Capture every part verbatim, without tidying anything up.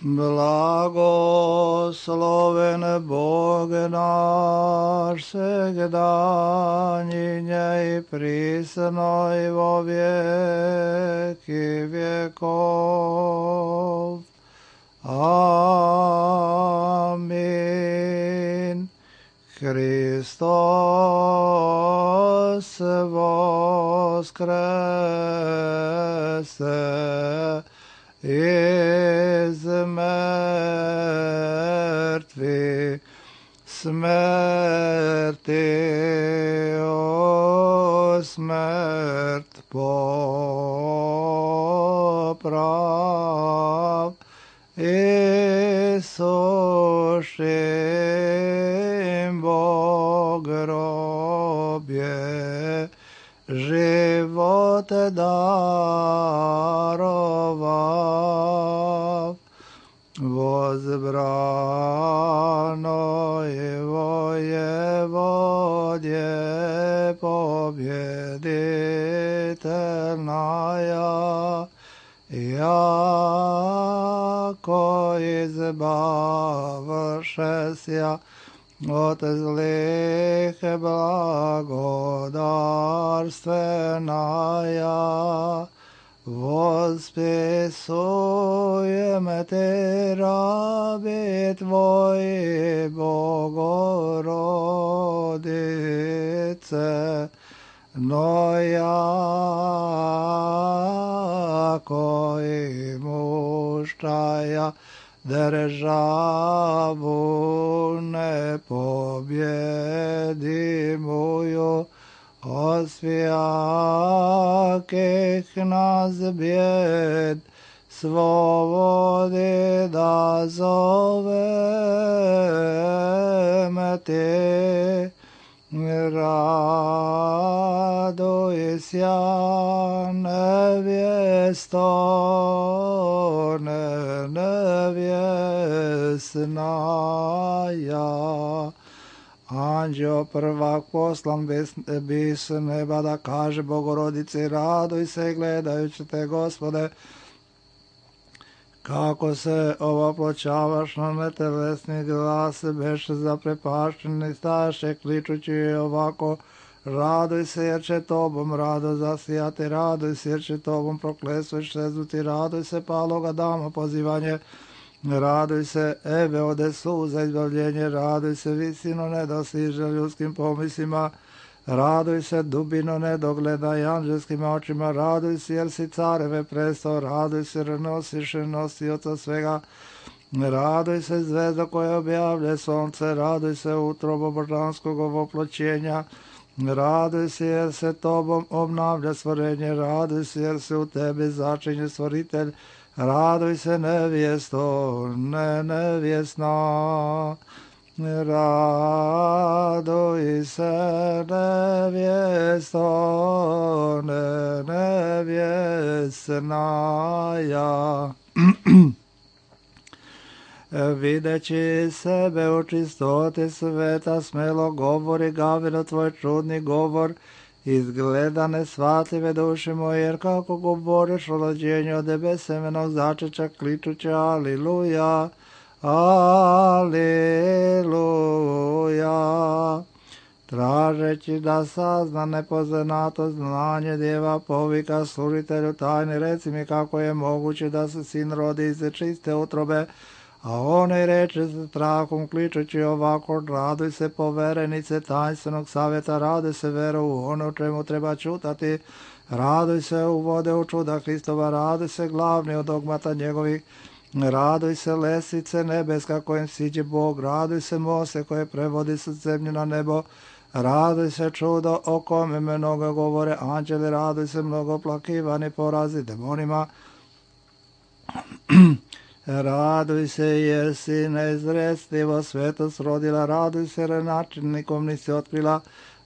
Blagosloven Bog naš, всегда, ныне и присно и во веки веков. Аминь. Христос воскресе из мертвых, смерти, о смерть поправ, и сушим во гробе живот даровав, возбрано его Еводье победительная, яко избавшеся от злых благодарственная, восписуем Ты, раби Твои, Богородице, но яко имущая державу непобедимую, от всяких нас бед свободы дозовем Ты. Радуйся, невесто невестная. Anđeo prvak poslan bi s neba da kaže Bogorodici, raduj se gledajući te, Gospode, kako se ovoploćavaš na netelesni glas, beše zaprepašteni, staše kličući ovako, raduj se jer će tobom rado zasijati, raduj se jer će tobom proklesuš sezuti, raduj se paloga dama pozivanje, raduj se ebe ode suza izbavljenje, raduj se visino nedosiže ljudskim pomislima, raduj se dubino nedogledaj anđelskim očima, raduj se jer si careve prestao, raduj se jer nosiš nosioca svega, raduj se zvezda koja objavlja sonce, raduj se utrobo božanskog ovoploćenja, raduj se jer se tobom obnavlja stvorenje, raduj se jer se u tebi začinje stvoritelj, raduj se nevjesto, ne nevjesna, raduj se nevjesto, ne nevjesnaja. Videći sebe u čistoti sveta, smelo govori Gavino tvoj čudni govor, izgleda nesvatljive duše moje, jer kako govoriš o rođenju od tebe semenog začeća, kličuće aliluja, aliluja. Tražeći da sazna nepoznato znanje djeva, povika služitelju tajni, reci mi kako je moguće da se sin rodi iz čiste utrobe, a onaj reče sa strahom kličući ovako, raduj se poverenice tajnstvenog savjeta, raduj se veru u ono čemu treba čutati, raduj se u vode u čuda Hristova, raduj se glavni od dogmata njegovih, raduj se lesice nebeska kojem siđe Bog, raduj se mose koje prevodi sa zemlje na nebo, raduj se čudo o kome mnogo govore anđeli, raduj se mnogo plakivani porazi demonima, raduj se jer si neizrestivo svetost rodila, raduj se jer načinnikom nisi otkrila,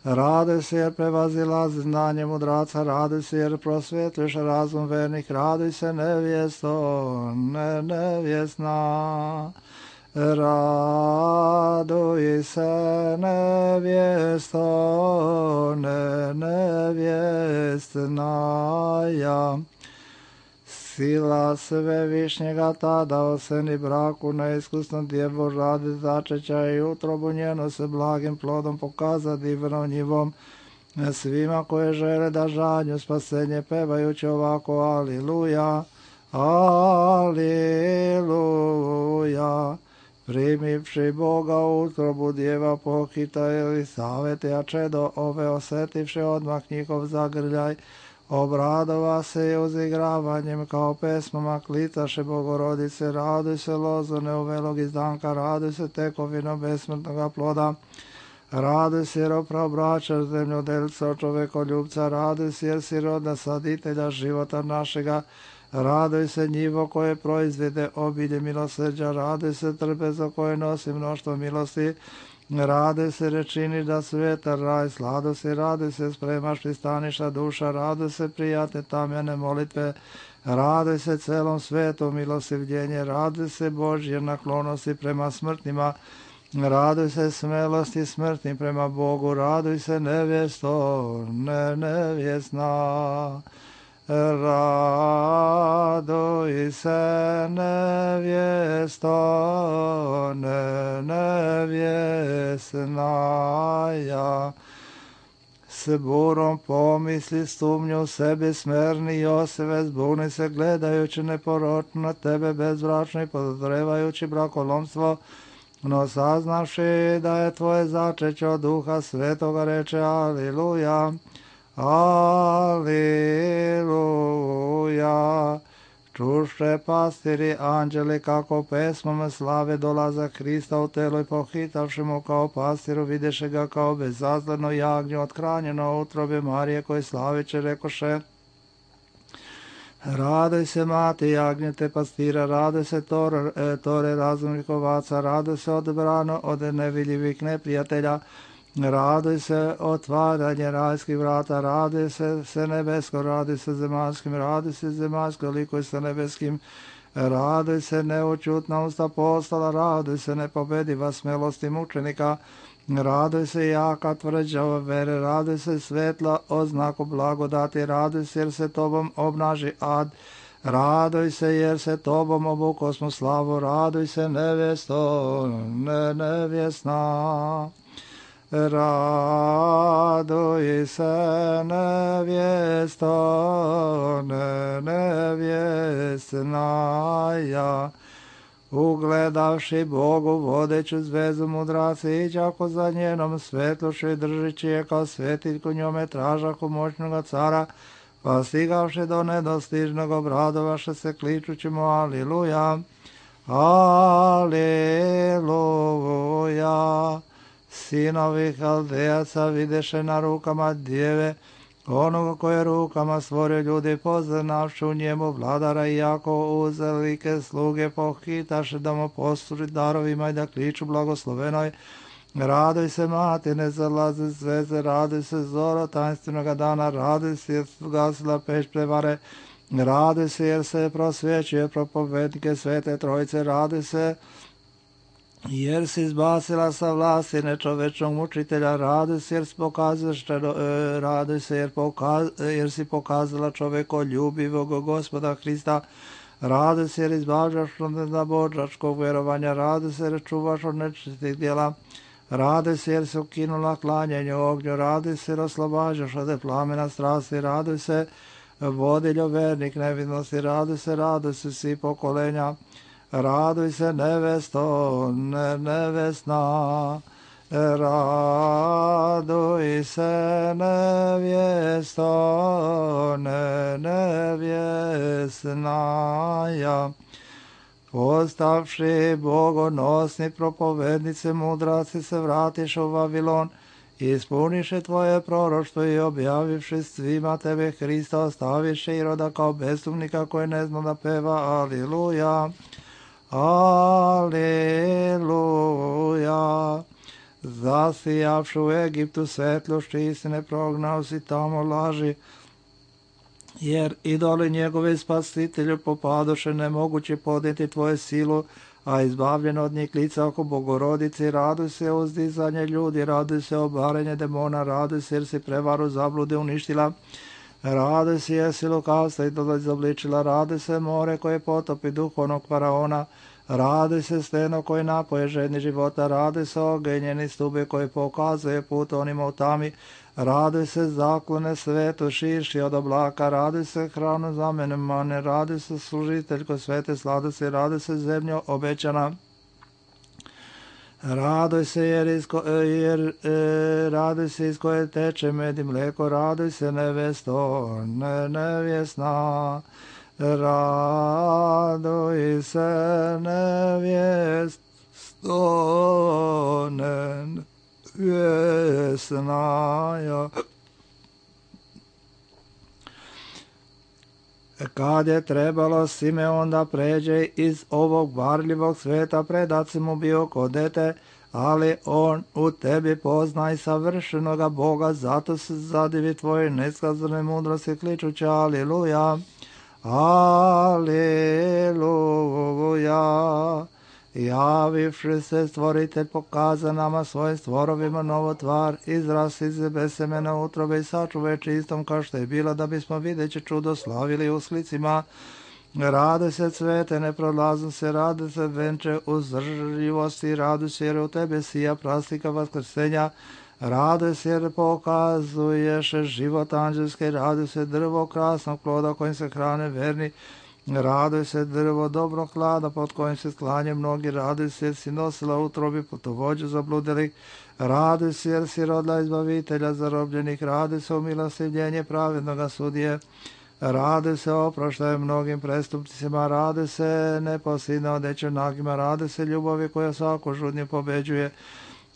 raduj se jer prevazila znanje mudraca, raduj se jer prosvetliš razum vernih, raduj se nevjesto, ne nevjesna, raduj se nevjesto, ne nevjesnaja. Sila sve višnjega tada oseni braku neiskusnom djevu radi začeća i utrobu njeno se blagim plodom pokaza divnom njivom svima koje žele da žanju spasenje pevajući ovako aliluja, aliluja. Primivši Boga u utrobu djeva pohita Elisavete, a čedo ove osetivši odmah njihov zagrljaj, obradova se je uzigravanjem kao pesmama klitaše Bogorodice, raduj se lozone uvelog izdanka, raduj se tekovino besmrtnoga ploda, raduj se jer opraobraćaš zemljodelca čovekoljubca, raduj se jer si rodna saditelja života našega, raduj se njivo koje proizvede obilje milosrđa, raduj se trpezo koje nosi mnoštvo milosti, raduj se rečini da svetar raj sladu si, raduj se spremaš pristaniša duša, raduj se prijatne tamjane molitve, raduj se celom svetu milosivljenje, raduj se Božje naklonosti prema smrtnima, raduj se smelosti smrtnim prema Bogu, raduj se nevjesto, ne nevjesna. Raduj se nevjesto, ne nevjesnaja. S burom pomisli sumnju sebi smerni Joseve, zbuni se gledajući neporočno na tebe bezbračno i podozrevajući brakolomstvo, no saznavši da je tvoje začeće od Duha Svetoga reče aliluja. Aliluja. Čuše pastiri anđeli kako pesmom slave dolaza Hrista u telo i pohitavši mu kao pastiru videše ga kao bezazleno jagnje othranjeno u utrobi Marije koje slaviće rekoše: raduj se mati jagnjete pastira, raduj se tore, tore razumnih ovaca, raduj se odbrano od nevidljivih neprijatelja, raduj se otvaranje rajskih vrata, raduj se se nebesko, raduj se zemaljskim, raduj se zemaljsko likuj se nebeskim, raduj se neočutna usta postala, raduj se nepobediva smelosti mučenika, raduj se jaka tvrđa vere, raduj se svetla oznaku blagodati, raduj se jer se tobom obnaži ad, raduj se jer se tobom obukosmo slavu, raduj se nevjesto, ne nevjesna. Raduj se nevjesto, ne nevjesnaja. Ugledavši Bogu vodeću zvezu mudraci i đako za njenom svetlošću i držići je kao svetiljku njome tražahu moćnoga cara, pa stigavši do nedostižnog obradovaše se kličući mu aliluja, aliluja. Sinovi Haldejaca videše na rukama djeve onoga koje rukama stvorio ljudi, poznavši u njemu vladara, i jako uzelike sluge pohitaše da mu posluži darovima i da kliču blagoslovenoj. Raduj se mati, ne zalazi zveze, raduj se zoro tajnstvenog dana, raduj se jer gasila peć prevare, raduj se jer se prosvjećuje propovednike Svete Trojice, raduj se jer si izbacila sa vlasti nečovečnog mučitelja, raduj se jer si pokazala, raduj se jer, pokaz, jer si pokazala čovekoljubivog Gospoda Hrista, raduj se jer izbavljaš od nezabožačkog vjerovanja, raduj se jer čuvaš od nečistih djela, raduj se jer si ukinula klanjanje ognju, raduj se jer oslobađaš od plamena strasti, raduj se vodiljo vernik nevidnosti, raduj se, raduj se svi pokolenja, raduj se nevesto, ne nevesna, raduj se nevjesto, ne nevjesnaja. Postavši bogonosni propovednice mudraci se vratiš u Vavilon, ispuniše tvoje proroštvo i objavivši svima tebe Hrista ostaviše Iroda kao besumnika koji ne zna da peva aliluja. Aleluja. Zasijavši u Egiptu svetlošću istine, prognao si tamo laži, jer idoli njegovi spasitelju popadoše, nemoguće podnijeti tvoje silu, a izbavljen od njih lica oko Bogorodici. Raduj se uzdizanje ljudi, raduj se obarenje demona, raduj se jer si prevaru zablude uništila, Raduj se jesi lukavstva i dole izobličila, raduj se more koje potopi duhovnog faraona, raduj se steno koje napoje žedni života, raduj se ogenjeni stube koje pokazuje put onima u tami, raduj se zaklone svetu širši od oblaka, raduj se hranu za mene mane, raduj se služiteljko svete sladosti, raduj se zemljo obećana. Raduj se jer, isko, jer e, raduj se iz koje teče med i mleko, raduj se nevesto, ne, nevjesna, raduj se nevjesto, nevjesna. Kad je trebalo, Simeon da pređe iz ovog varljivog sveta, predat si mu bio ko dete, ali on u tebi poznaj savršenoga Boga, zato se zadivi tvoje neskazane mudrosti, kličući aliluja, aliluja. Javivši se stvoritelj pokaza nama svojim stvorovima novo tvar, izraz iz besemena utrobe i sačuvaj čistom kao što je bila, da bismo videći čudo slavili u slicima. Rade se cvete, ne prolazno se, rade se venče uzdržljivosti, radu se jer u tebe sija prastika vaskrsenja, rade se jer pokazuješ život anđelske, rade se drvo krasnog ploda kojim se hrane verni, raduj se drvo dobrog klada pod kojim se sklanje mnogi, raduj se jer si nosila utrobi putovođu zabludelih, raduj se jer si rodila izbavitelja zarobljenih, raduj se umilostivljenje pravednoga sudije, raduj se oproštaje mnogim prestupcima, raduj se neposljedno odeće nagima, raduj se ljubavi koja svaku žudnju pobeđuje,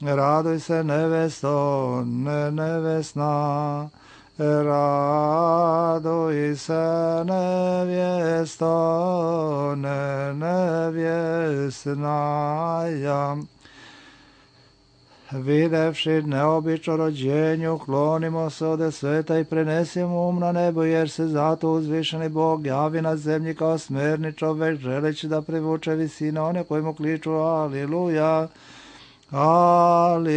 raduj se nevesto, ne nevesna, raduj se nevjesto, ne nevjesna. Videvši neobično rođenju, klonimo se ode sveta i prenesimo um na nebo, jer se zato uzvišeni Bog javi na zemlji kao smerni čovek, želeći da privuče visine one koji mu kliču aliluja, aliluja.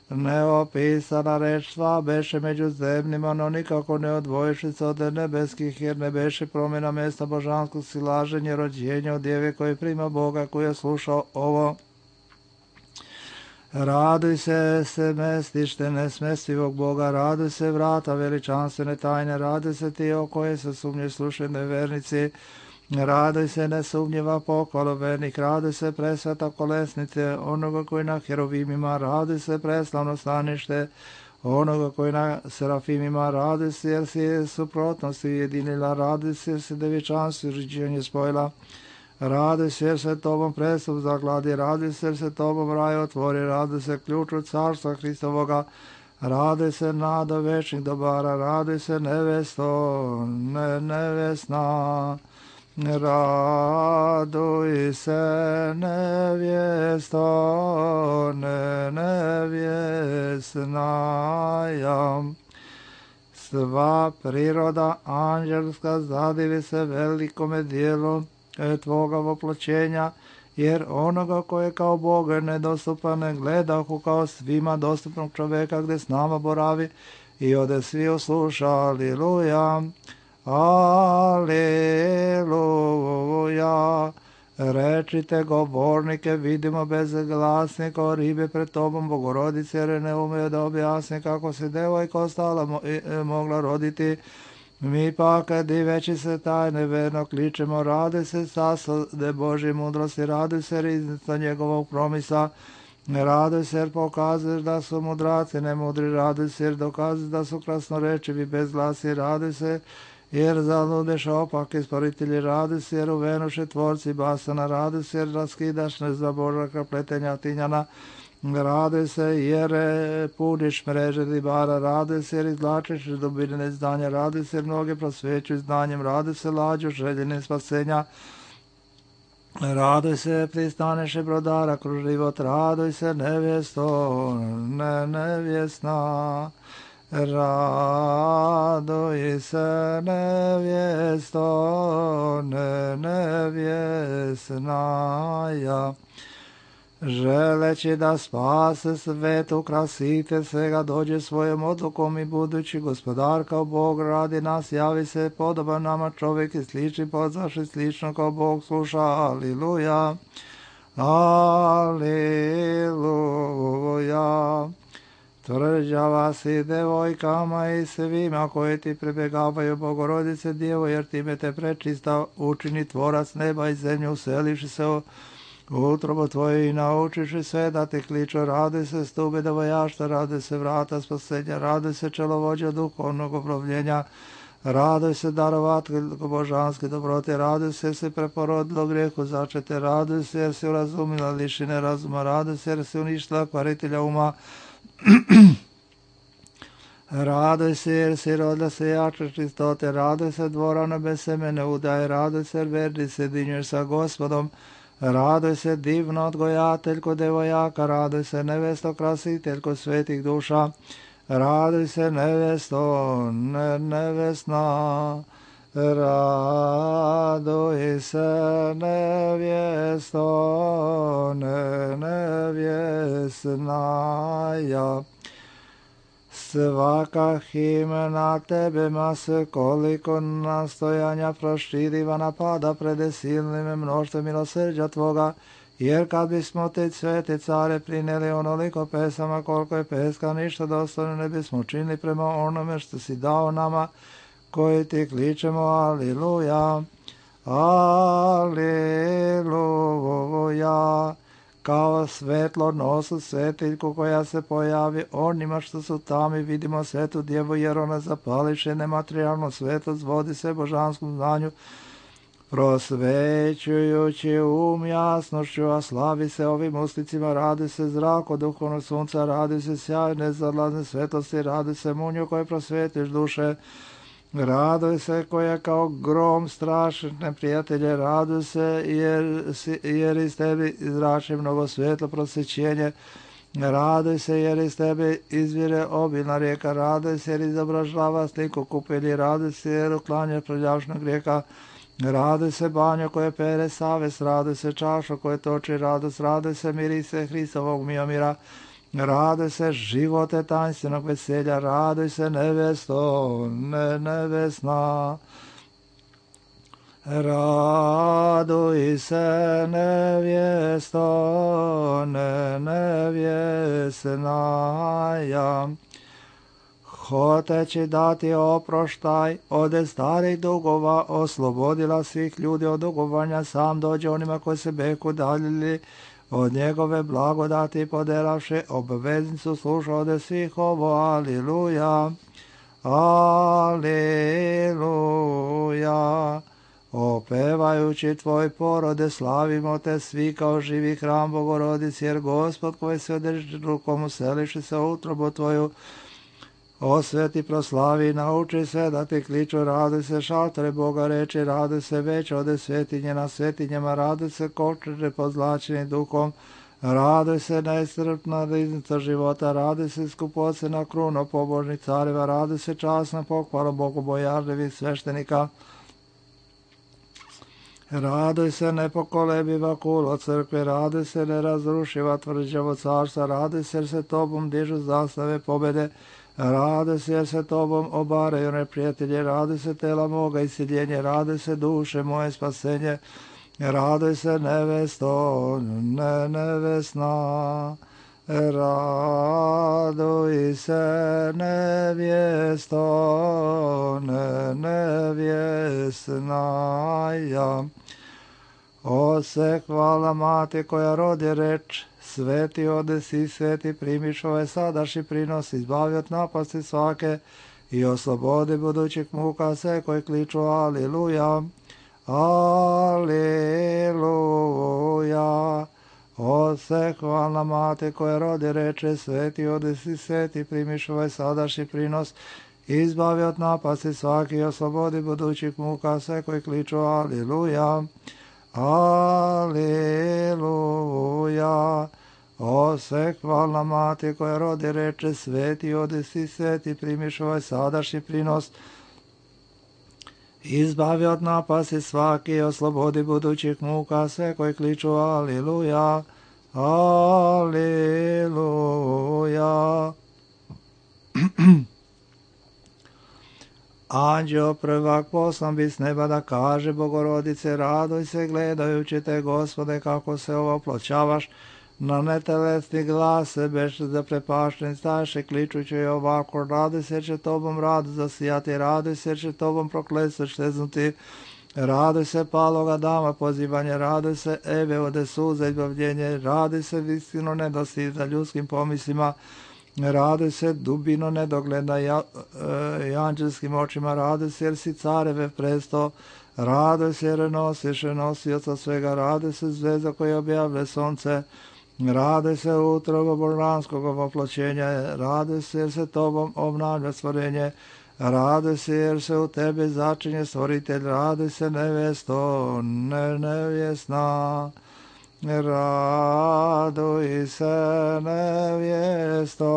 Neopisana reč sva beše među zemljima, no nikako ne odvojiši se od nebeskih, jer ne beše promjena mesta božanskog silaženja, rođenja od djeve koji prima Boga, koji je slušao ovo. Raduj se, se mestište nesmestivog Boga, raduj se vrata veličanstvene tajne, raduj se ti o koje se sumnje slušaju nevernici, raduj se nesumnjiva pohvala vernih, raduj se presveta kolesnice onoga koji na herovimima, raduj se preslavno stanište onoga koji na serafimima, raduj se jer si suprotnosti ujedinila, raduj se jer si devičanstvo uređenje spojila, raduj se jer se tobom prestup zagladi, raduj se jer se tobom raj otvori, raduj se ključu carstva Hristovoga, raduj se nada večnih dobara, raduj se nevesto, ne nevesna, raduj se nevjesto, ne nevjesna. Sva priroda anđelska zadivi se velikome dijelu tvoga voploćenja, jer onoga koje kao Boga nedostupan ne gledahu kao svima dostupnog čoveka gde s nama boravi i ode svi usluša, aliluja, aliluja. Rečite govornike, vidimo bezglasnike, o ribe pred tobom, Bogorodice, jer ne umeju da objasni kako se devojka ostala mo mogla roditi. Mi pak, diveći se tajne, verno kličemo, radi se sasade Božje mudrosti, radi se riznica njegovog promisa, radi se jer pokazuješ da su mudraci nemudri, radi se jer dokazuješ da su krasnorečivi bezglasi, radi se jer zaludeš opake sporitelji, radi se jer uvenuše tvorci basana, radi se jer raskidaš nezabožaka pletenja tinjana, radi se jer puniš mreže ribara, radi se jer izvlačiš dubine znanja, radi se jer mnoge prosvećuju znanjem, radi se lađu željene spasenja, raduj se pristaneše brodara kroz život, raduj se nevjesto, ne nevjesna, raduj se nevjesto, ne nevjesna. želeći da spase svet, ukrasite se ga, dođe svojom odlukom i budući gospodar kao Bog radi nas, javi se podoban nama čovjek i slični pozvaši slično kao Bog sluša. Aliluja, aliluja. Tvrđava si devojkama i svima koji ti prebjegavaju, Bogorodice Djevo, jer time te prečista učini tvorac neba i zemlje, uselivši se u utrobu tvoje i naučiši sve da te kliču. Radi se stube devojašta, radi se vrata spasenja, radi se čelovođa duhovnog obnovljenja, raduj se darovateljko božanske dobrote, raduj se jer si preporodilo grijehu začete, raduj se jer si urazumila lišine razuma, raduj se jer si uništila kvaritelja uma, raduj se jer si rodila se jače čistote, raduj se dvorano bez semene udaje, raduj se jer verni se dinješ sa Gospodom, raduj se divno odgojateljko devojaka, raduj se nevesto krasiteljko svetih duša, raduj se nevesto ne, nevesna, raduj se nevjesto ne, nevjesnaja. Svaka himna tebe mase koliko nastojanja proširiva napada pred silnim mnoštvom milosrđa tvoga, jer kad bismo te svete care prineli onoliko pesama koliko je peska, ništa dostojno ne bismo činili prema onome što si dao nama koji ti kličemo. Aliluja, aliluja. Kao svetlo nosu svetiljku koja se pojavi onima što su tamo i vidimo svetu djevu, jer ona zapališe nematerijalno svetlost, vodi se božanskom znanju, prosvećujući um jasnošću, a slavi se ovim uslicima, radi se zrak od duhovnog sunca, radi se sjaj nezadlazne svetlosti, radi se munju koje prosvetiš duše, raduj se koja kao grom strašne neprijatelje, raduj se jer, jer iz tebi izrači mnogo svetlo prosvećenje, raduj se jer iz tebe izvire obilna rijeka, raduj se jer izobražava sliku kupelji, raduj se jer uklanja prljavšnog grijeka, raduj se banjo koje pere savest, raduj se čašo koje toči radost, raduj se mirise Hristovog miomira, raduj se živote tainstvenog veselja, raduj se nevesto ne, nevesna, raduj se nevjesto ne, nevjesnaja. Hoteći dati oproštaj ode starih dugova, oslobodila svih ljudi od dugovanja, sam dođe onima koji se beku daljili od njegove blagodati, poderavši obveznicu sluša ode svih ovo. Aliluja, aliluja. Opevajući tvoj porode, slavimo te svi kao živi hram Bogorodici, jer Gospod koji se održi rukom useliši se u utrobu tvoju, osveti, proslavi, nauči sve da ti kliču, raduj se šaltore Boga reči, raduj se već ode svetinje na svetinjama, raduj se kočeže pozlačeni duhom, raduj se neiscrpna riznica života, raduj se skupocena kruno pobožnih careva, raduj se časna pokvara bogobojažljivih sveštenika, raduj se nepokolebiva kulo crkve, raduj se nerazrušiva tvrđavo carstva, raduj se jer se tobom dižu zastave pobjede, raduj se jer se tobom obaraju neprijatelje, raduj se tela moga isiljenje, raduj se duše moje spasenje, raduj se nevesto ne, nevesna, raduj se nevjesto ne, nevjesnaja. O se hvala mati koja rodi reč, sveti odesi, sveti primiš ove sadašnji prinos, izbavi od napasti svake i oslobodi budućih muka sve koji kliču. Aliluja, aliluja. O se hvala mati koja rodi reče, sveti odesi, sveti primiš ovaj sadašnji prinos, izbavi od napasti svaki i oslobodi budućih muka sve koji kliču. Aliluja, aliluja. O se hvala mati koja rodi reče, sveti odesi, sveti primiš ovaj sadašnji prinos, izbavi od napasti svaki i oslobodi budućih muka sve koji kliču. Aliluja, Aleluja. Anđeo prvak poslan bi s neba da kaže Bogorodice, radoj se gledajući te, Gospode, kako se ovoploćavaš, na netelesni glas se beš zaprepašten staše, kličući ovako, radoj se će tobom radu zasijati, radoj se će tobom prokletstvo šteznuti, radoj se paloga dama pozivanje, radoj se Eve ode suza izbavljenje, radoj se istino nedosti za ljudskim pomislima, radoj se dubino nedogleda ja, e, i anđelskim očima, radoj se jer si careve presto, radoj se jer nosiš nosioca svega, radoj se zvezda koja objavlja sonce, radoj se utrobo božanskog ovoploćenja, radoj se jer se tobom obnavlja stvorenje, radoj se jer se u tebi začinje stvoritelj, radoj se nevesto, ne nevjesna, raduj se nevjesto,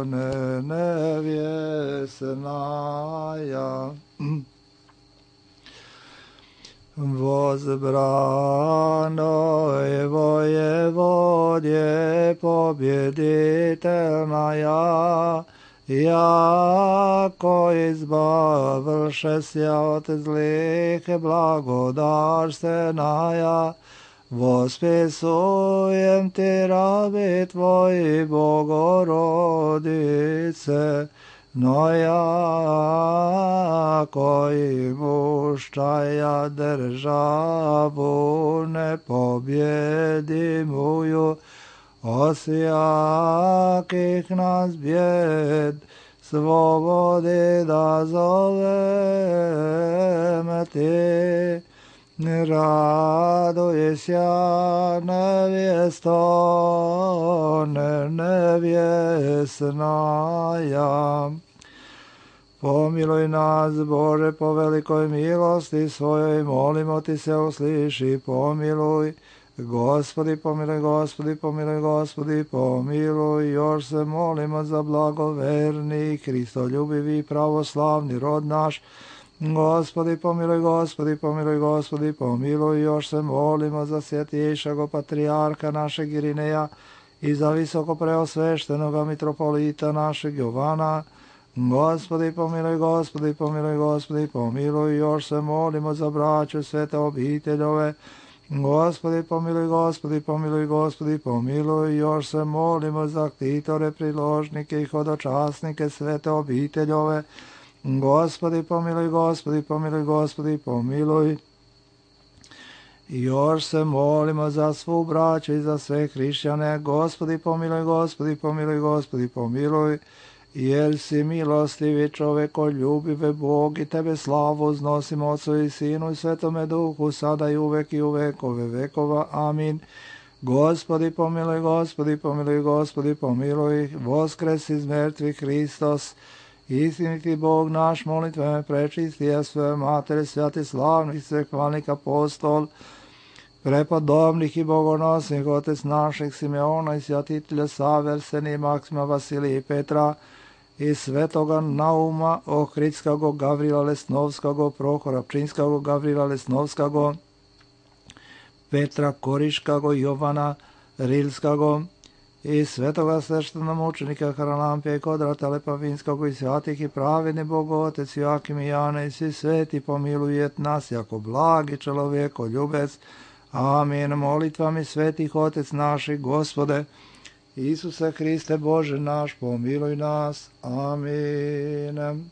ne nevjesnaja. Возбранoj воеводje победительная, jako izbavlše sja od zlih blagodarstvenaja, vospisujem ti rabi tvoji, Bogorodice, no jako i muščaja državu nepobjedimuju, osjakih nas bjed svobodi da zovem ti. Raduj sja nevjesto, ne nevjesnaja. Pomiluj nas, Bože, po velikoj milosti svojoj, molimo ti se, usliši, pomiluj. Gospodi, pomiluj, Gospodi, pomiluj, Gospodi, pomiluj. Još se molimo za blagoverni, Hristoljubivi, pravoslavni rod naš. Gospodi, pomiluj, Gospodi, pomiluj, Gospodi, pomiluj. Još se molimo za svjetiješago patrijarha našeg Irineja i za visoko preosveštenoga mitropolita našeg Jovana. Gospodi, pomiluj, Gospodi, pomiluj, Gospodi, pomiluj. Još se molimo za braću svete obiteljove. Gospodi, pomiluj, Gospodi, pomiluj, Gospodi, pomiluj. Još se molimo za ktitore, priložnike i hodočasnike svete obiteljove. Gospodi, pomiluj, Gospodi, pomiluj, Gospodi, pomiluj. Još se molimo za svu braću i za sve hrišćane. Gospodi, pomiluj, Gospodi, pomiluj, Gospodi, pomiluj. Jer si milostivi čovekoljubive Bog i tebe slavu uznosimo Otcu i Sinu i Svetome Duhu, sada i uvek i u vekove vekova. Amin. Gospodi, pomiluj, Gospodi, pomiluj, Gospodi, pomiluj. Voskres iz mrtvih Hristos, istiniti Bog naš, molitveme prečisti, a sve matere, svjati slavnih, svehvalnik apostol, prepodobnih i bogonosnih, otec naših Simeona i svjatitelja Save, Arsenija, Maksima, Vasilija i Petra, i svetoga Nauma, Ohridskago, Gavrila Lesnovskago, Prohora Pčinskago, Gavrila Lesnovskago, Petra Koriškago, Jovana Rilskago, i svetoga sveštenomučenika Haralampija i Kodrata Lepavinskog i svятih i pravedni Bog Otec Joakim i Jana i svi sveti pomilujet nas jako blagi čelovjeko ljubec. Amin. Molitvami svetih Otec naših, Gospode, Isuse Hriste Bože naš, pomiluj nas. Amin.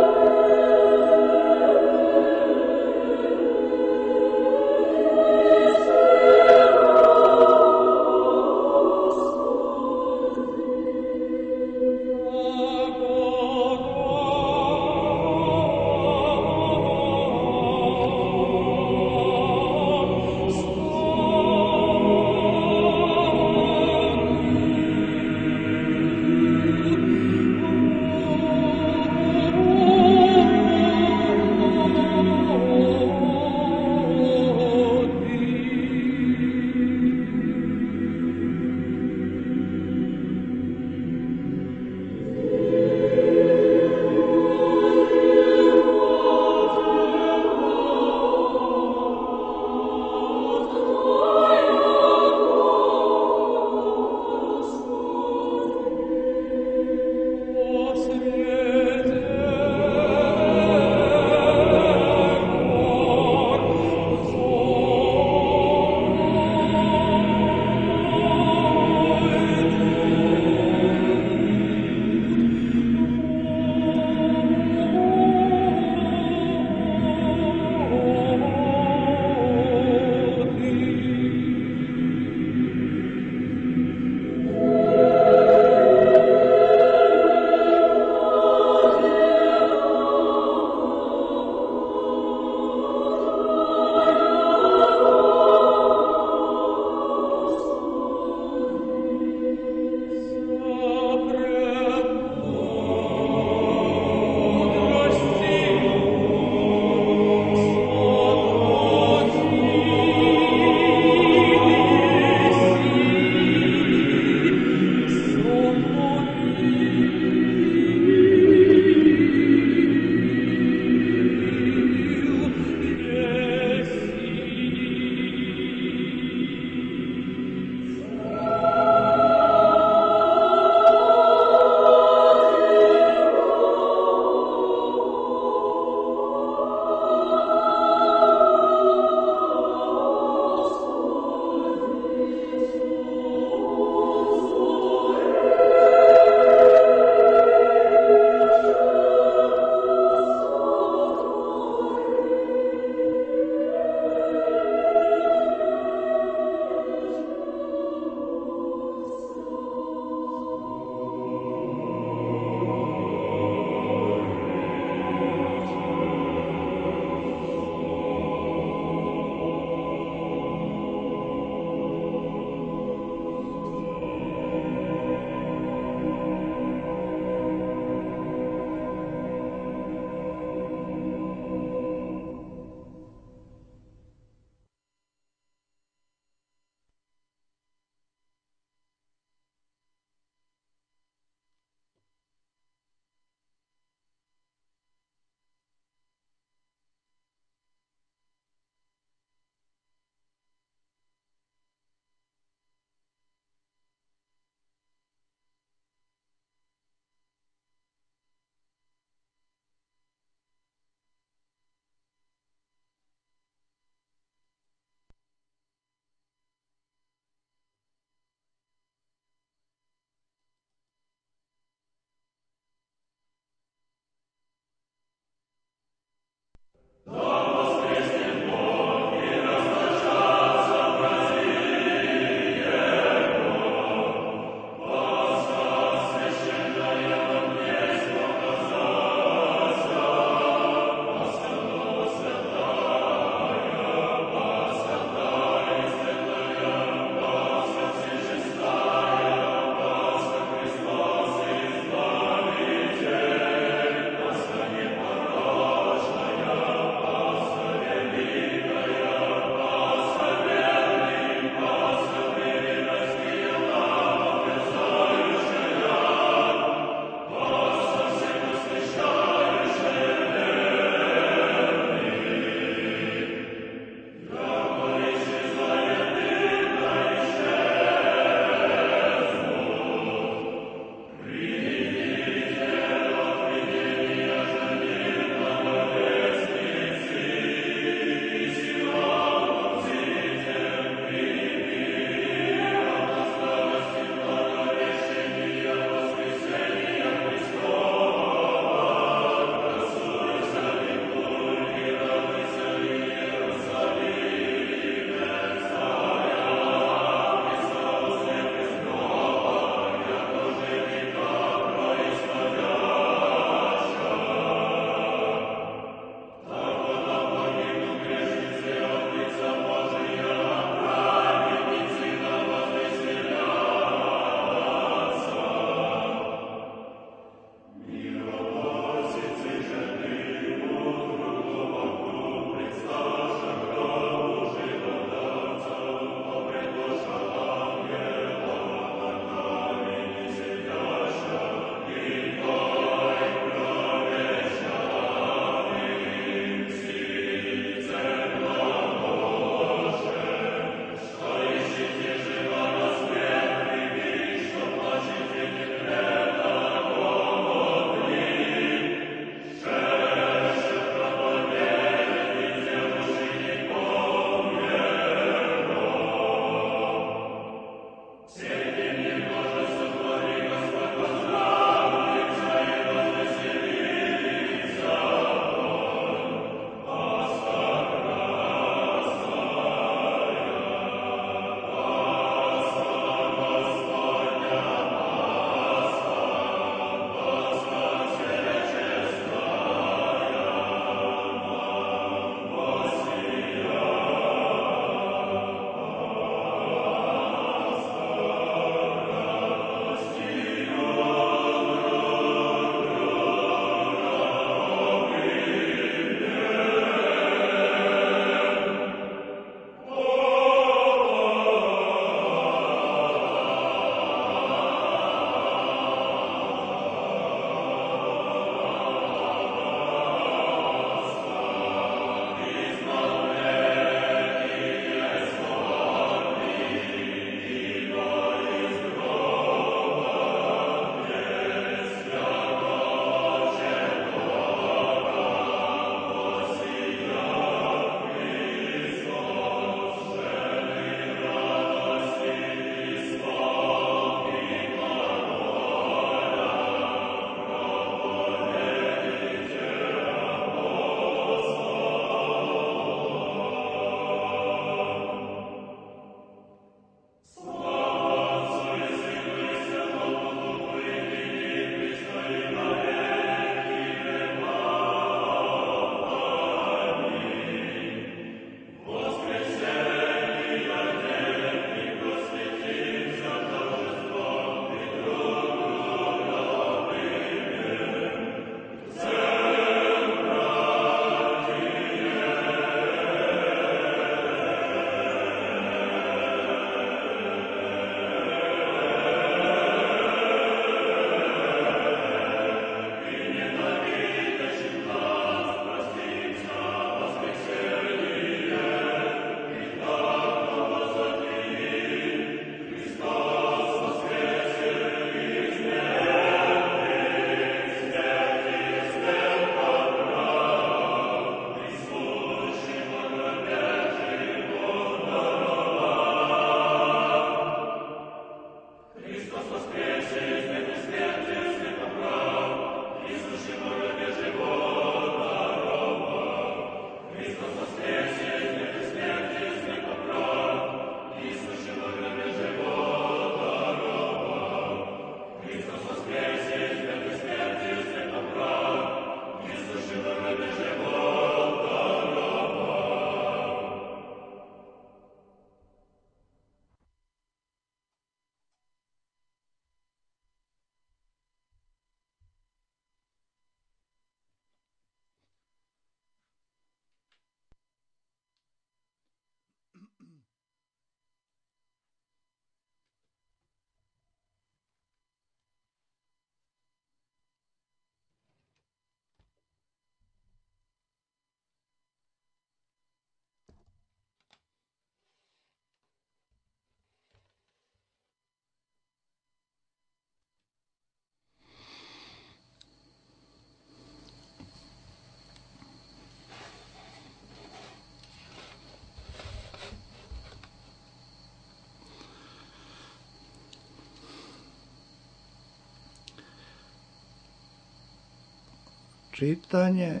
čitanje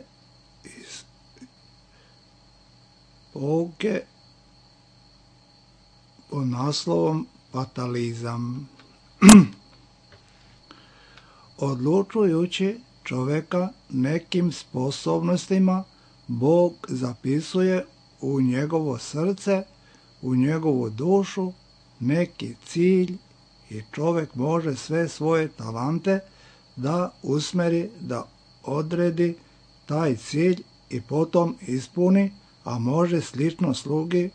iz pouke pod naslovom Fatalizam. Odlučujući čovjeka nekim sposobnostima, Bog zapisuje u njegovo srce, u njegovu dušu neki cilj i čovjek može sve svoje talante da usmeri, da odredi taj cilj i potom ispuni, a može slično slugi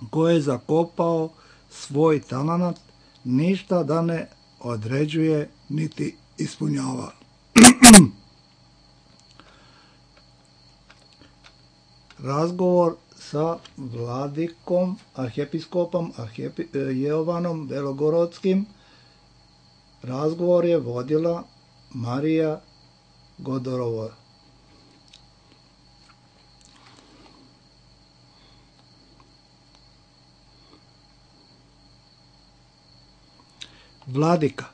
koji je zakopao svoj talenat ništa da ne određuje niti ispunjava. Razgovor sa vladikom, arhijepiskopom arhijepi, Jovanom Belogorodskim. Razgovor je vodila Marija Godorova. Vladika,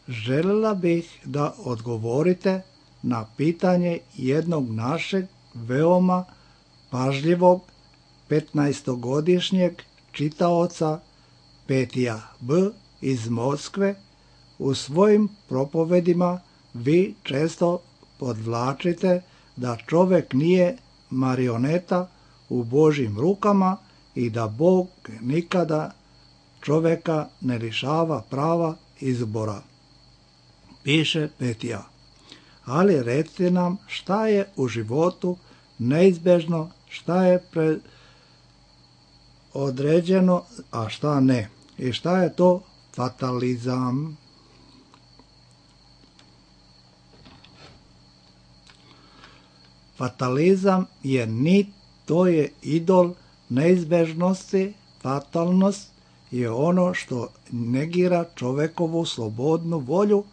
željela bih da odgovorite na pitanje jednog našeg veoma pažljivog petnaestogodišnjeg čitaoca Petija B. iz Moskve. U svojim propovedima vi često podvlačite da čovjek nije marioneta u Božjim rukama i da Bog nikada čovjeka ne lišava prava izbora. Piše Petija. Ali recite nam šta je u životu neizbježno, šta je određeno, a šta ne. I šta je to fatalizam? Fatalizam je nit, to je idol neizbježnosti. Fatalnost je ono što negira čovjekovu slobodnu volju,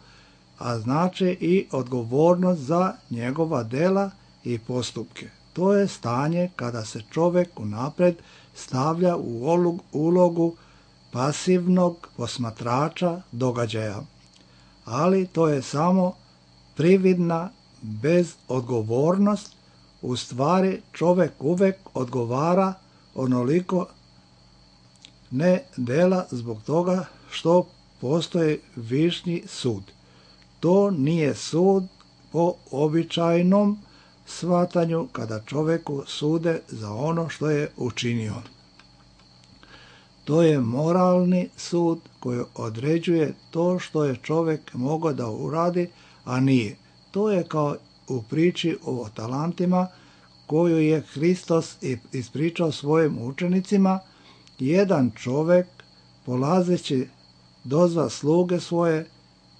a znači i odgovornost za njegova dela i postupke. To je stanje kada se čovjek unaprijed stavlja u ulogu pasivnog posmatrača događaja. Ali to je samo prividna bezodgovornost. U stvari čovjek uvijek odgovara onoliko ne dela zbog toga što postoji višnji sud. To nije sud po običajnom shvatanju kada čovjeku sude za ono što je učinio. To je moralni sud koji određuje to što je čovjek mogao da uradi, a nije. To je kao u priči o talentima koju je Hristos ispričao svojim učenicima. Jedan čovjek polazeći dozva sluge svoje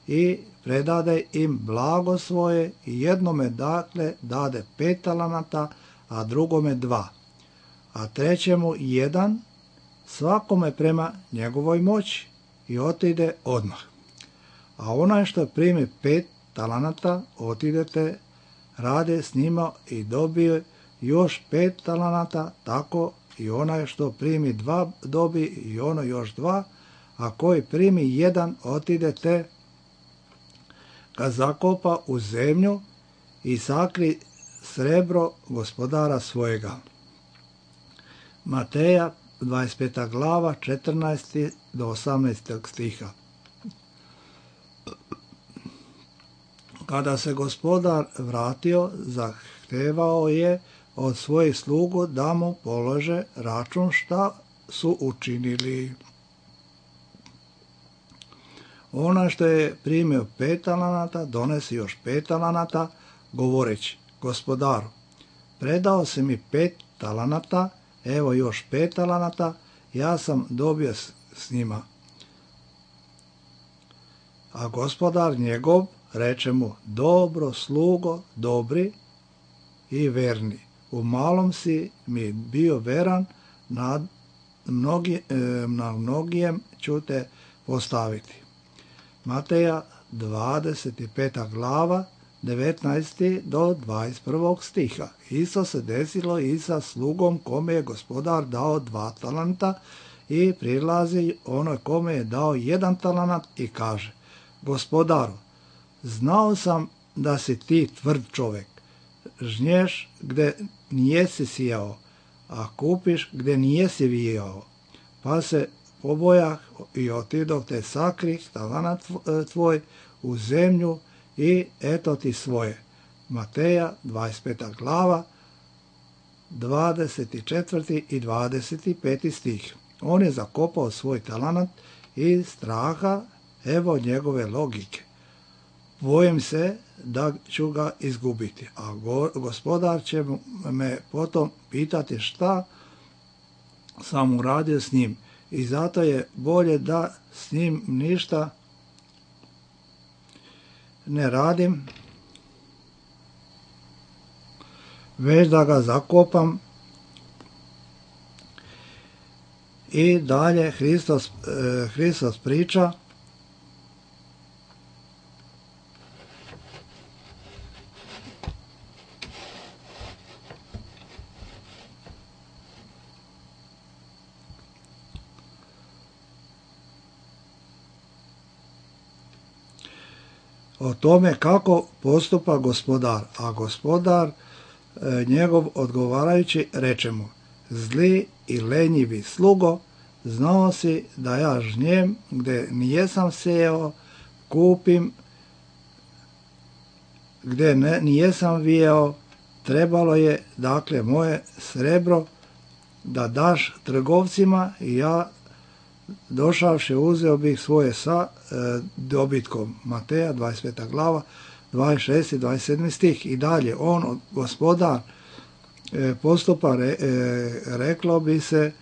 i predade im blago svoje i jednome dakle dade pet talenata, a drugome dva, a trećemu jedan, svakome prema njegovoj moći, i otide odmah. A onaj što primi pet talenata, otidete, rade s njima i dobije još pet talenata, tako i onaj što primi dva dobi i ono još dva, a koji primi jedan otidete ga zakopa u zemlju i sakri srebro gospodara svojega. Mateja dvadeset peta glava četrnaesti do osamnaestog stiha. Kada se gospodar vratio, zahtevao je od svojih slugu da mu polože račun šta su učinili. Ona što je primio pet talenata, donesi još pet talenata, govoreći: gospodaru, predao si mi pet talenata, evo još pet talenata, ja sam dobio s, s njima. A gospodar njegov reče mu: dobro slugo, dobri i verni, u malom si mi bio veran, na, mnogi, na mnogijem ću te postaviti. Mateja dvadeset peta glava devetnaesti do dvadeset prvog stiha. Isto se desilo i sa slugom kome je gospodar dao dva talenta i prilazi onoj kome je dao jedan talenat i kaže: gospodaru, znao sam da si ti tvrd čovjek. Žnješ gdje nijesi sijao, a kupiš gdje nijesi vijao. Pa se pobojah i otidoh te sakrih talanat tvoj u zemlju i eto ti svoje. Mateja dvadeset peta glava, dvadeset četvrti i dvadeset peti stih. On je zakopao svoj talanat iz straha, evo njegove logike. Bojim se da ću ga izgubiti, a gospodar će me potom pitati šta sam uradio s njim. I zato je bolje da s njim ništa ne radim, već da ga zakopam. I dalje Hristos, Hristos priča o tome kako postupa gospodar, a gospodar e, njegov odgovarajući reče mu: zli i lenjivi slugo, znao si da ja žnjem gdje nijesam sejao, kupim gdje ne, nijesam vijao. Trebalo je dakle moje srebro da daš trgovcima i ja došavši uzeo bih svoje sa e, dobitkom. Mateja dvadeset peta glava, dvadeset šesti i dvadeset sedmi stih. I dalje on, gospodar, e, postupa, re, e, reklo bi se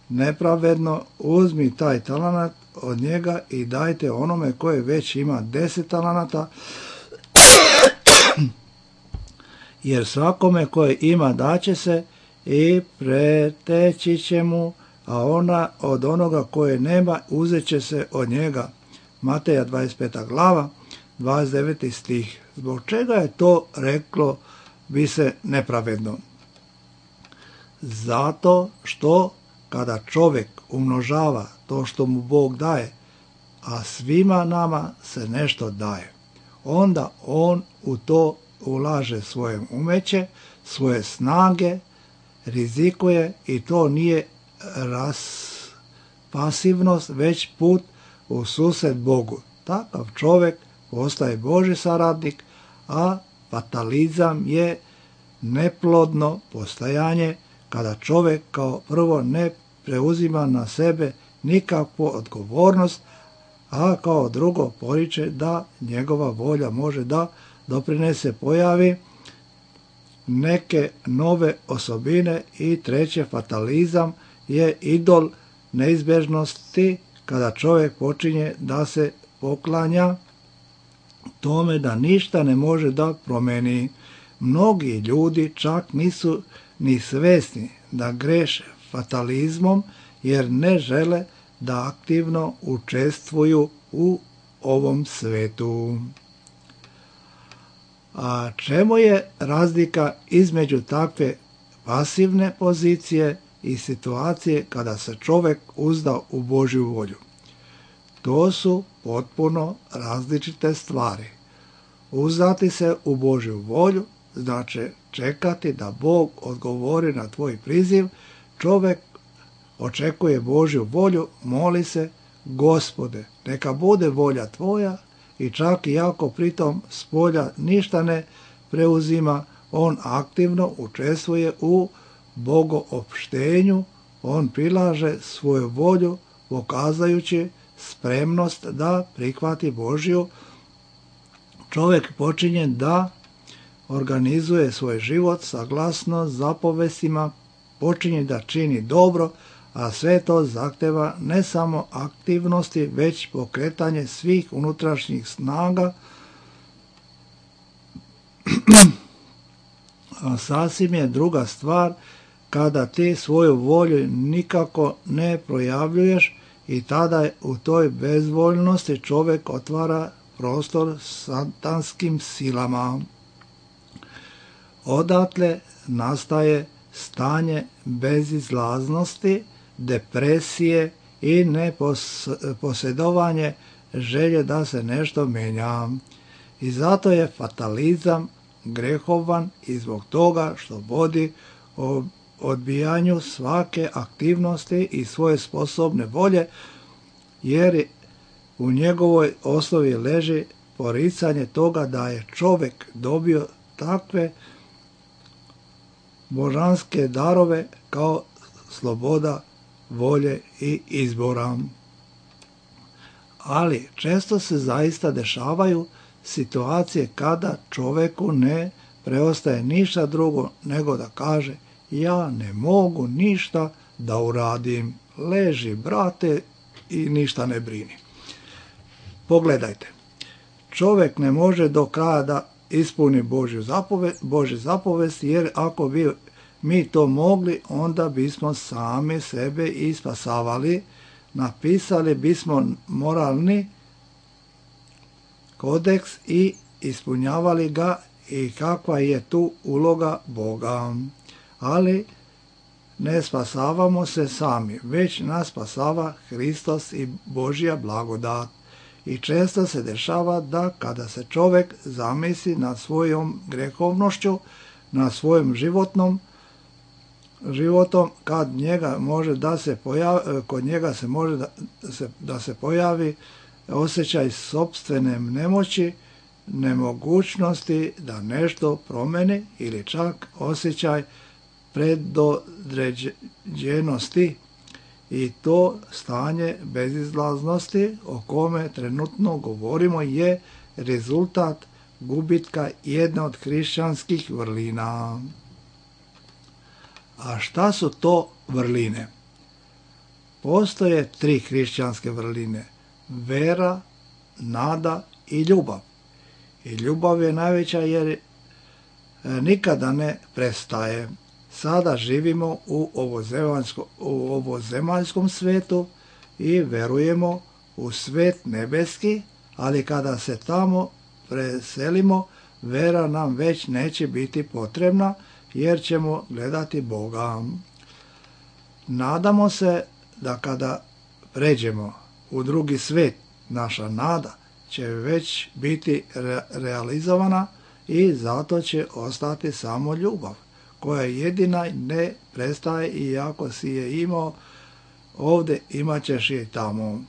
nepravedno: uzmi taj talanat od njega i dajte onome koje već ima deset talanata, jer svakome koje ima daće se i preteći će mu, a ona od onoga koje nema uzet će se od njega. Mateja dvadeset peta glava, dvadeset deveti stih. Zbog čega je to reklo bi se nepravedno? Zato što kada čovjek umnožava to što mu Bog daje, a svima nama se nešto daje, onda on u to ulaže svoje umeće, svoje snage, rizikuje i to nije ras, pasivnost, već put u susret Bogu. Takav čovjek postaje Božji saradnik, a fatalizam je neplodno postajanje kada čovjek kao prvo ne preuzima na sebe nikakvu odgovornost, a kao drugo poriče da njegova volja može da doprinese pojavi neke nove osobine. I treće, fatalizam je idol neizbježnosti kada čovjek počinje da se poklanja tome da ništa ne može da promeni. Mnogi ljudi čak nisu ni svjesni da greše fatalizmom jer ne žele da aktivno učestvuju u ovom svetu. A čemu je razlika između takve pasivne pozicije i situacije kada se čovjek uzda u Božju volju? To su potpuno različite stvari. Uzdati se u Božju volju znači čekati da Bog odgovori na tvoj priziv. Čovjek očekuje Božju volju, moli se: Gospode, neka bude volja tvoja, i čak i ako pritom s polja ništa ne preuzima, on aktivno učestvuje u bogoopštenju, on prilaže svoju volju pokazajući spremnost da prihvati Božju. Čovjek počinje da organizuje svoj život saglasno zapovestima, počinje da čini dobro, a sve to zahteva ne samo aktivnosti, već pokretanje svih unutrašnjih snaga. A sasvim je druga stvar kada ti svoju volju nikako ne projavljuješ, i tada u toj bezvoljnosti čovjek otvara prostor satanskim silama. Odatle nastaje stanje bezizlaznosti, depresije i neposjedovanje želje da se nešto menja. I zato je fatalizam grehovan i zbog toga što vodi o odbijanju svake aktivnosti i svoje sposobne volje, jer u njegovoj osnovi leži poricanje toga da je čovjek dobio takve božanske darove kao sloboda volje i izbora. Ali često se zaista dešavaju situacije kada čovjeku ne preostaje ništa drugo nego da kaže: ja ne mogu ništa da uradim, leži brate i ništa ne brini. Pogledajte, čovjek ne može do kraja da ispuni Božju zapovest, Božju zapovest, jer ako bi mi to mogli, onda bismo sami sebe i spasavali, napisali bismo moralni kodeks i ispunjavali ga, i kakva je tu uloga Boga. Ali ne spasavamo se sami, već nas spasava Hristos i Božja blagodat. I često se dešava da kada se čovjek zamisli nad svojom grehovnošću, na svojom životnom životom, kad njega može da se pojavi, kod njega se može da se, da se pojavi osjećaj sopstvene nemoći, nemogućnosti da nešto promeni, ili čak osjećaj predodređenosti, i to stanje bezizlaznosti o kome trenutno govorimo je rezultat gubitka jedne od hrišćanskih vrlina. A šta su to vrline? Postoje tri hrišćanske vrline: vera, nada i ljubav. I ljubav je najveća jer nikada ne prestaje. Sada živimo u ovozemaljskom svetu i verujemo u svet nebeski, ali kada se tamo preselimo, vera nam već neće biti potrebna, jer ćemo gledati Boga. Nadamo se da kada pređemo u drugi svet, naša nada će već biti re- realizovana i zato će ostati samo ljubav, koja jedina ne prestaje, i ako si je imao ovdje, imat ćeš je tamo.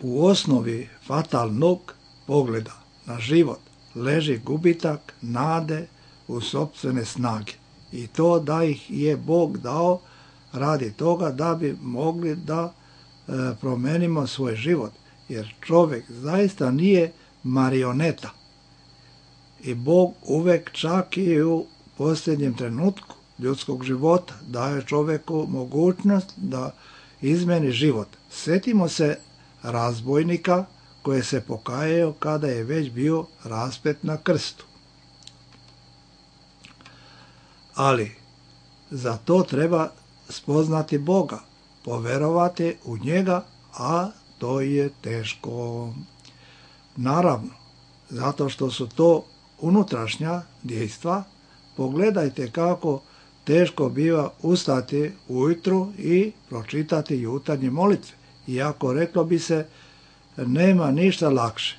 U osnovi fatalnog pogleda na život leži gubitak nade u sopstvene snage, i to da ih je Bog dao radi toga da bi mogli da e, promenimo svoj život, jer čovjek zaista nije marioneta i Bog uvek, čak i u posljednjem trenutku ljudskog života, daje čovjeku mogućnost da izmeni život. Sjetimo se razbojnika koji se pokajao kada je već bio raspet na krstu. Ali za to treba spoznati Boga, poverovati u njega, a to je teško. Naravno, zato što su to unutrašnja dejstva. Pogledajte kako teško biva ustati ujutru i pročitati jutarnje molitve. Iako reklo bi se, nema ništa lakše.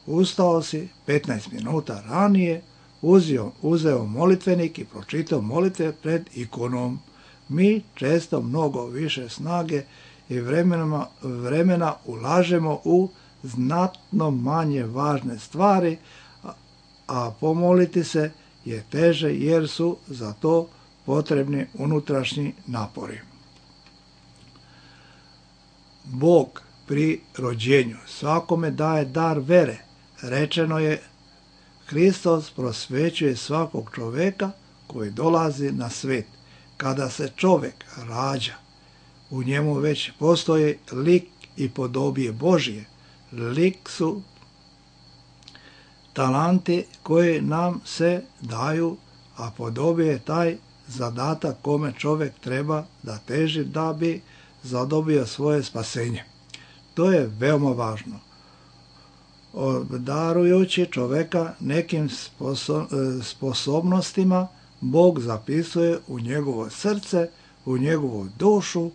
Ustao si petnaest minuta ranije, uzeo, uzeo molitvenik i pročitao molitve pred ikonom. Mi često mnogo više snage i vremena, vremena ulažemo u znatno manje važne stvari, a, a pomoliti se je teže jer su za to potrebni unutrašnji napori. Bog pri rođenju svakome daje dar vere. Rečeno je, Hristos prosvećuje svakog čovjeka koji dolazi na svet. Kada se čovjek rađa, u njemu već postoji lik i podobije Božije. Lik su talanti koji nam se daju, a podobije je taj zadatak kome čovjek treba da teži da bi zadobio svoje spasenje. To je veoma važno. Obdarujući čovjeka nekim sposobnostima, Bog zapisuje u njegovo srce, u njegovu dušu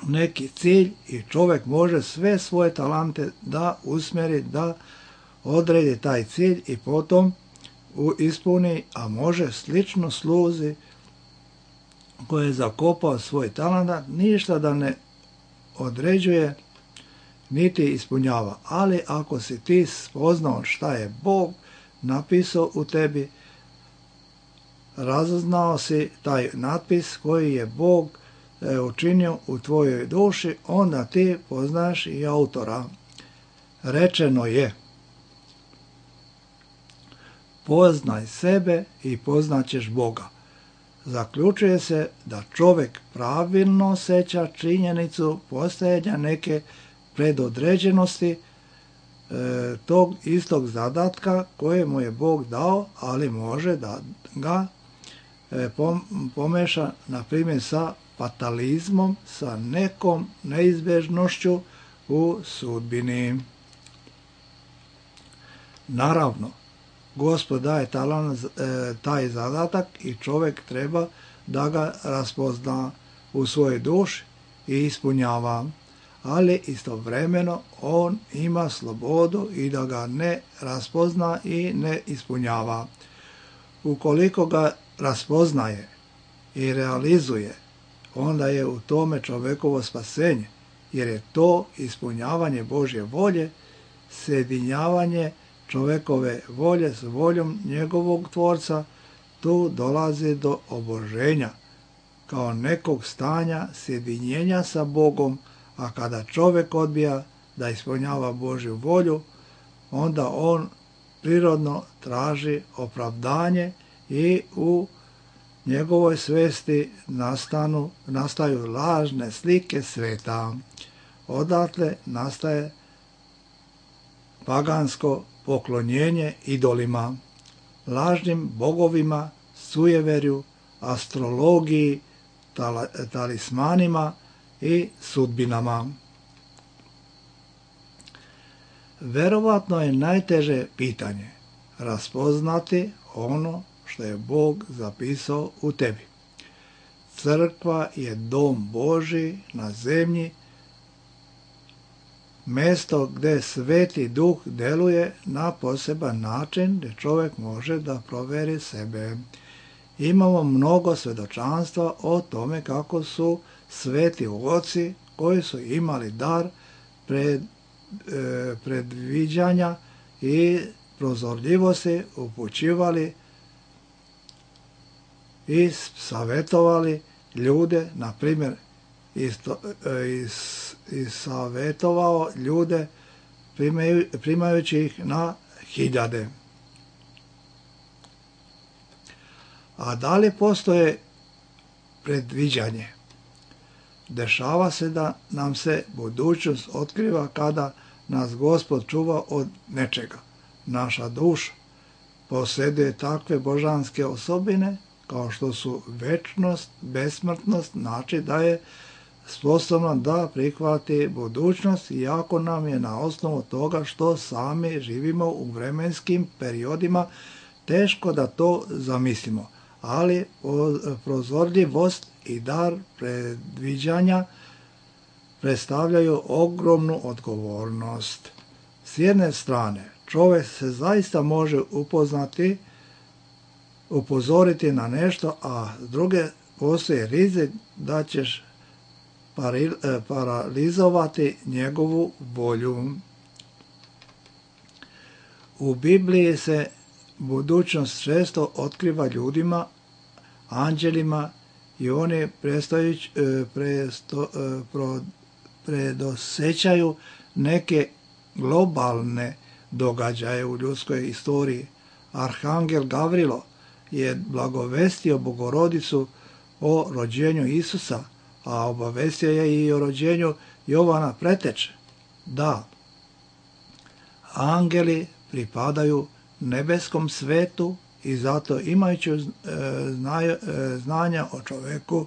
neki cilj i čovjek može sve svoje talante da usmjeri, da odredi taj cilj i potom ispuni, a može slično sluzi koji je zakopao svoj talent, ništa da ne određuje niti ispunjava. Ali ako si ti spoznao šta je Bog napisao u tebi, razaznao si taj natpis koji je Bog e, učinio u tvojoj duši, onda ti poznaš i autora. Rečeno je: poznaj sebe i poznaćeš Boga. Zaključuje se da čovjek pravilno osjeća činjenicu postojanja neke predodređenosti e, tog istog zadatka koje mu je Bog dao, ali može da ga e, pom, pomeša, na primjer, sa fatalizmom, sa nekom neizbježnošću u sudbini. Naravno, Gospod daje talan, e, taj zadatak i čovjek treba da ga raspozna u svojoj duši i ispunjava, ali istovremeno on ima slobodu i da ga ne raspozna i ne ispunjava. Ukoliko ga raspoznaje i realizuje, onda je u tome čovjekovo spasenje, jer je to ispunjavanje Božje volje, sjedinjavanje čovjekove volje s voljom njegovog tvorca. Tu dolazi do oboženja kao nekog stanja sjedinjenja sa Bogom, a kada čovjek odbija da ispunjava Božju volju, onda on prirodno traži opravdanje i u njegovoj svesti nastanu, nastaju lažne slike sveta. Odatle nastaje pagansko poklonjenje idolima, lažnim bogovima, sujeverju, astrologiji, tal- talismanima i sudbinama. Verovatno je najteže pitanje raspoznati ono što je Bog zapisao u tebi. Crkva je dom Božji na zemlji, mjesto gdje Sveti Duh deluje na poseban način, gdje čovjek može da proveri sebe. Imamo mnogo svjedočanstva o tome kako su sveti oci koji su imali dar pred, e, predviđanja i prozorljivosti upućivali i savjetovali ljude, na primjer isto, is, is savjetovao ljude primaju, primajući ih na hiljade. A da li postoje predviđanje? Dešava se da nam se budućnost otkriva kada nas Gospod čuva od nečega. Naša duša posjeduje takve božanske osobine kao što su večnost, besmrtnost, znači da je sposobna da prihvati budućnost, iako nam je na osnovu toga što sami živimo u vremenskim periodima teško da to zamislimo. Ali prozorljivost i dar predviđanja predstavljaju ogromnu odgovornost. S jedne strane, čovjek se zaista može upoznati, upozoriti na nešto, a s druge postoji rizik da ćeš paralizovati njegovu volju. U Bibliji se budućnost često otkriva ljudima, anđelima, i oni presto, predosećaju neke globalne događaje u ljudskoj istoriji. Arhangel Gavrilo je blagovestio Bogorodicu o rođenju Isusa, a obavestio je i o rođenju Jovana Preteče. Da, angeli pripadaju nebeskom svetu i zato imajući e, zna, e, znanja o čovjeku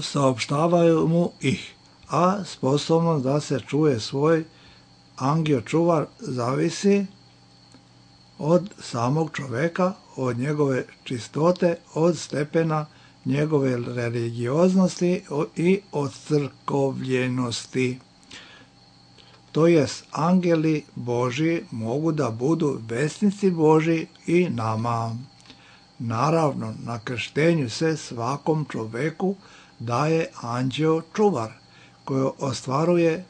saopštavaju mu ih, a sposobnost da se čuje svoj angio čuvar zavisi od samog čovjeka, od njegove čistote, od stepena njegove religioznosti i ocrkovljenosti. To jest, angeli Božji mogu da budu vesnici Božji i nama. Naravno, na krštenju se svakom čoveku daje anđeo čuvar, koji ostvaruje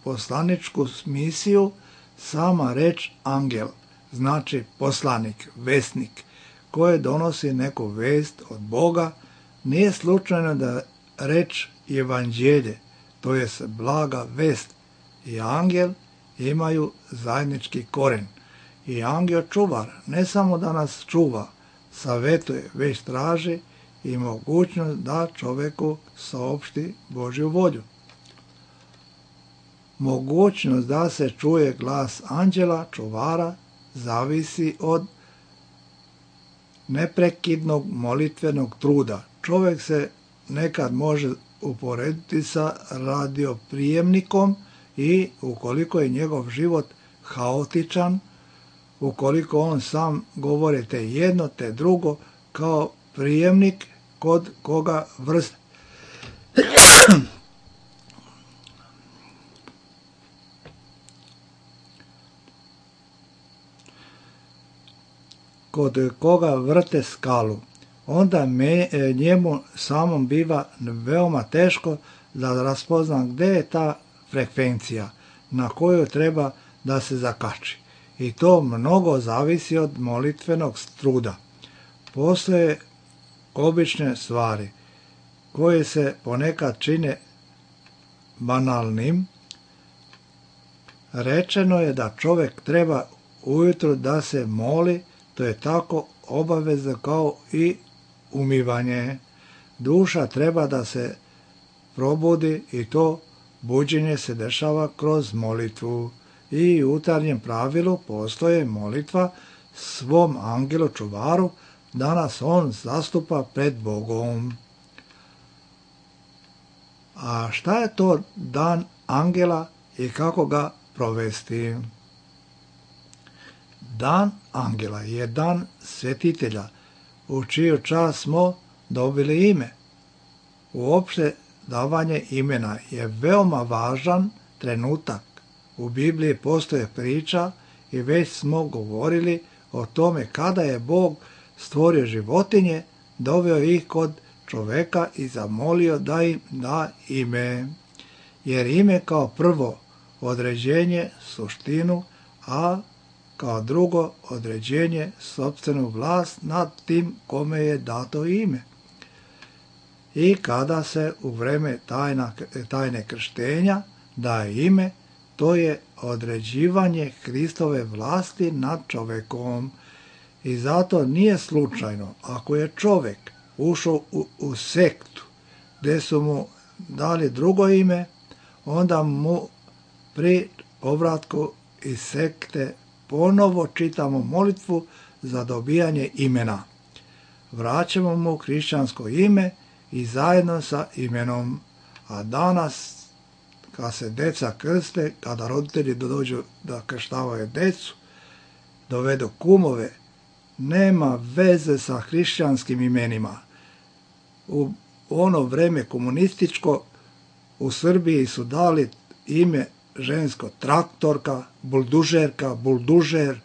poslaničku misiju. Sama reč angel znači poslanik, vesnik, koji donosi neku vest od Boga. Nije slučajno da reč evanđelje, to jest blaga vest, i angel imaju zajednički koren. I angel čuvar ne samo da nas čuva, savetuje, već traži i mogućnost da čoveku saopšti Božju volju. Mogućnost da se čuje glas anđela čuvara zavisi od neprekidnog molitvenog truda. Čovjek se nekad može uporediti sa radioprijemnikom i ukoliko je njegov život haotičan, ukoliko on sam govori te jedno, te drugo, kao prijemnik kod koga vrste kod koga vrte skalu, onda me, njemu samom biva veoma teško da raspozna gdje je ta frekvencija na koju treba da se zakači. I to mnogo zavisi od molitvenog truda. Postoje obične stvari koje se ponekad čine banalnim. Rečeno je da čovjek treba ujutro da se moli, to je tako obavezno kao i umivanje. Duša treba da se probudi i to buđenje se dešava kroz molitvu. I u jutarnjem pravilu postoje molitva svom angelu čuvaru da nas on zastupa pred Bogom. A šta je to dan angela i kako ga provesti? Dan angela je dan svetitelja, u čiju čast smo dobili ime. Uopšte davanje imena je veoma važan trenutak. U Bibliji postoje priča i već smo govorili o tome kada je Bog stvorio životinje, doveo ih kod čoveka i zamolio da im da ime. Jer ime kao prvo određenje suštinu, a kao drugo određenje sopstvenu vlast nad tim kome je dato ime. I kada se u vreme tajna, tajne krštenja daje ime, to je određivanje Hristove vlasti nad čovekom. I zato nije slučajno, ako je čovek ušao u, u sektu gdje su mu dali drugo ime, onda mu pri povratku iz sekte ponovo čitamo molitvu za dobijanje imena. Vraćamo mu hrišćansko ime i zajedno sa imenom. A danas, kad se deca krste, kada roditelji dođu da krštavaju decu, dovedu kumove, nema veze sa hrišćanskim imenima. U ono vreme komunističko u Srbiji su dali ime žensko traktorka, buldužerka, buldužer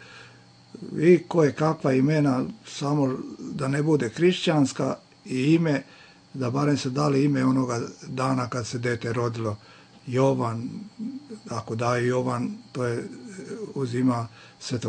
i koje kakva imena, samo da ne bude hrišćanska i ime, da barem se dali ime onoga dana kad se dete rodilo. Jovan, ako daje Jovan, to je uzima svetog